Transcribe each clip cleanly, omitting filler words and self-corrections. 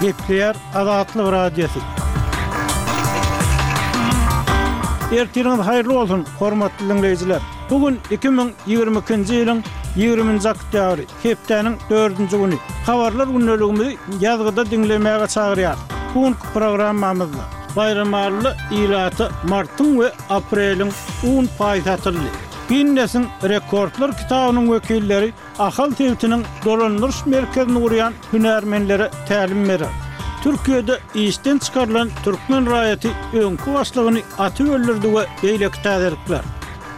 Gepleýär Azatlyk Radiosy. Ertiriňiz haýyrly bolsun, hormatly diňleýjiler! Bu gün 2022-nji ýylyň 20-nji oktýabry, hepdäniň dördünji güni. Habarlar gündeligimizi ýazgyda diňlemäge çagyrýarys. Bu günki programmamyzda Baýramalyda ilata martyň we apreliň un paýy satyldy. Ginnesiň rekordlar kitabynyň wekilleri Ahal sebitiniň dolandyryş merkezini gurýan hünärmenlere tälim berer. Türkiýede işden çykarylan türkmen raýaty öňki başlygyny atyp öldürdi we beýleki täzelikler.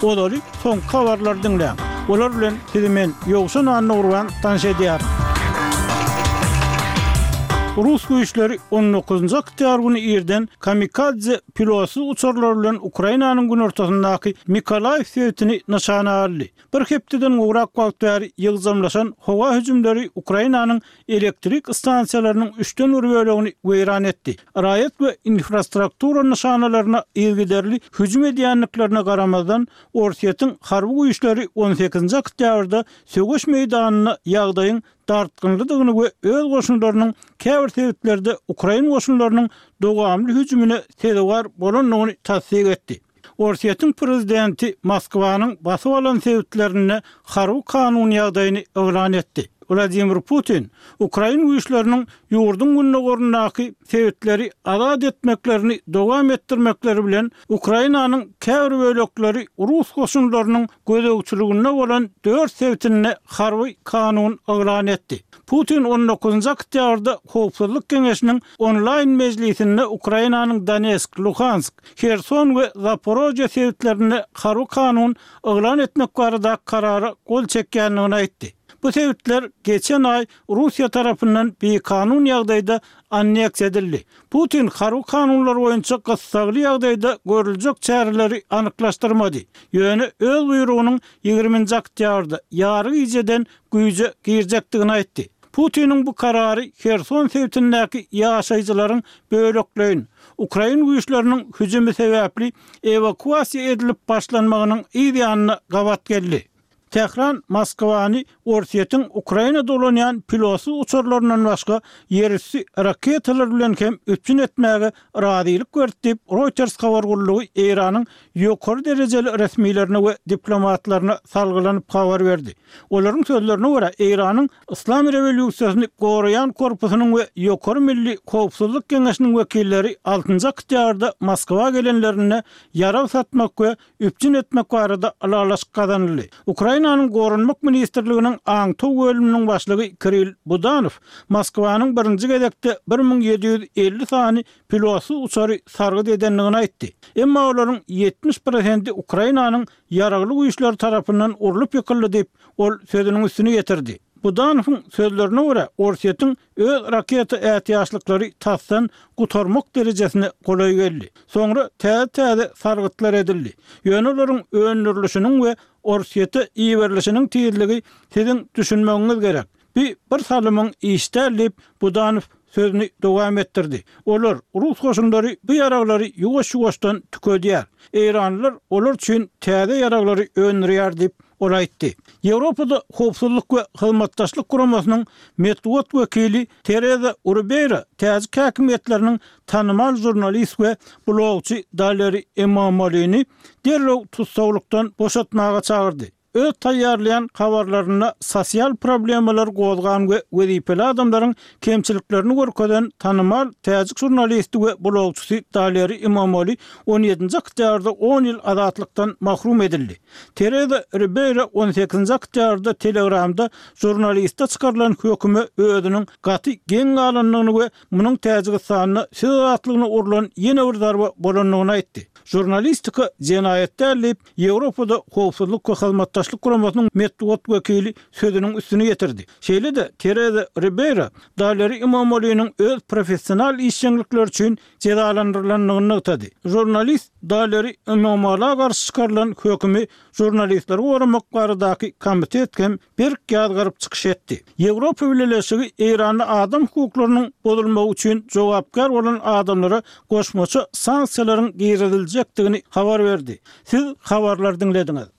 Ozaly soňky habarlary diňläň. Olar bilen sizi men, Ýowşan Annagurban tanyş edýärin. Rus güýçleri on dokuzynjy oktýabr güni irden kamikadze pilotsyz uçarlar bilen Ukrainanyň günortasyndaky Mykolaýiw sebitini nyşana aldy. Bir hepdeden gowrak wagt bäri ýygjamlaşan howa hüjümleri Ukrainanyň elektrik stansiýalarynyň üçden bir bölegini weýran etdi. Raýat we infrastruktura nyşanalaryna yzygiderli hüjüm edýändiklerine garamazdan, Orsýetiň harby güýçleri on sekizinji oktýabrda söweş meýdanynda ýagdaýyň dartgynlydygyny we öz goşunlarynyň käbir sebitlerde ukrain goşunlarynyň dowamly hüjümine sezewar bolandygyny tassyk etdi. Orsýetiň prezidenti Moskwanyň basyp alan sebitlerinde harby kanun ýagdaýyny yglan etdi. Wladimir Putin ukrain güýçleriniň ýurduň gündogaryndaky sebitleri azat etmeklerini dowam etdirmekleri bilen Ukrainanyň käbir bölekleri rus goşunlarynyň gözegçiliginde bolan dört sebitinde harby kanun yglan etdi. Putin on dokuzynjy oktýabrda Howpsuzlyk geňeşiniň onlaýn mejlisinde Ukrainanyň Donetsk, Luhansk, Herson we Zaporožýe sebitlerinde harby kanun yglan etmek baradaky karara gol çekýändigini aýtdy. Bu sebitler geçen aý Russiýa tarapyndan bikanun ýagdaýda anneksiýa edildi. Putin harby kanunlar boýunça gyssagly ýagdaýda görüljek çäreleri anyklaşdyrmady. Ýöne öz buýrugynyň ýigriminji oktýabrda ýary gijeden güýje girjekdigini aýtdy. Putiniň bu karary Herson sebitindäki ýaşaýjylaryň bölekleýin, ukrain güýçleriniň hüjümi sebäpli ewakuasiýa edilip başlanmagynyň yz ýanyna gabat geldi. Tähran Moskwany Orsýetiň Ukraina dolanýan pilotsyz uçarlaryndan başga ýerüsti raketalar bilen hem üpjün etmäge razylyk berdi diýip, Reuters habar gullugy Eýranyň ýokary derejeli resmilerine we diplomatlaryna salgylanyp habar berdi. Olaryň sözlerine görä, Eýranyň Yslam rewolýusiýasyny goraýan korpusynyň we Ýokary milli howpsuzlyk geňeşiniň wekilleri altynjy oktýabrda Moskwa gelenlerinde ýarag satmak we üpjün etmek barada ylalaşyk gazanyldy. Ukrainanyň Goranmak ministrliginiň aňtaw bölüminiň başlygy Kirill Budanow Moskwanyň birinji gezekde 1750 sany pilotsyz uçary sargyt edendigini aýtdy. Emma olaryň 70 prosenti Ukrainanyň ýaragly güýçleri tarapyndan urlup ýykyldy diýip, ol sözüniň üstüni ýetirdi. Budanowyň sözlerine görä, Orsýetiň öz raketa ätiýaçlyklary tasdan gutarmak derejesine golaý geldi. Soňra täze-täze sargytlar edildi. Ýöne olaryň öndürilişiniň we Orsýete iberilişiniň tizligi siziň düşünmegiňiz gerek. Bi bir salymyň işi däl diýip, Budanow sözüni dowam etdirdi. Olar, rus goşunlary bu ýaraglary ýuwaş-ýuwaşdan tükedýär. Eýranlylar olar üçin täze ýaraglary öndürýär diýip, ol aýtdy. Ýewropada Howpsuzlyk we Hyzmatdaşlyk Guramasynyň metbugat wekili Tereza Urubeýra täjik häkimiýetleriniň tanymal žurnalist we blogçy Daleri Emomolini derrew tussaglykdan boşatmaga çagyrdy. Öz taýýarlaýan habarlarynda sosial problemalary gozgan we wezipeli adamlaryň kemçiliklerini görkezen tanymal täjik žurnalisti we blogçysy Daleri Imomoli on ýedinji oktýabrda on ýyl azatlykdan mahrum edildi. Tereza Ribeýro on sekizinji oktýabrda Telegramda žurnaliste çykarylan höküme özüniň gaty geň galandygyny we munuň Täjigistanda söz azatlygyna urlan ýene bir zarba bolandygyny aýtdy. Žurnalistika jenaýat däl diýip, Ýewropada Howpsuzlyk we Hyzmatdaşlyk Guramasynyň metbugat wekili sözüniň üstüni ýetirdi. Şeýle-de Tereza Ribeýro Daleri Imamoglynyň öz professional işjeňlikleri üçin jezalandyrylandygyny nygtady. Žurnalist Daleri Imamogla garşy çykarylan hökümi Žurnalistleri goramak baradaky komitet hem berk ýazgaryp çykyş etdi. Ýewropa Bileleşigi Eýranda adam hukuklarynyň bozulmagy üçin jogapkär bolan adamlara goşmaça sanksiýalaryň giriziljekdigini habar berdi. Siz habarlary diňlediňiz.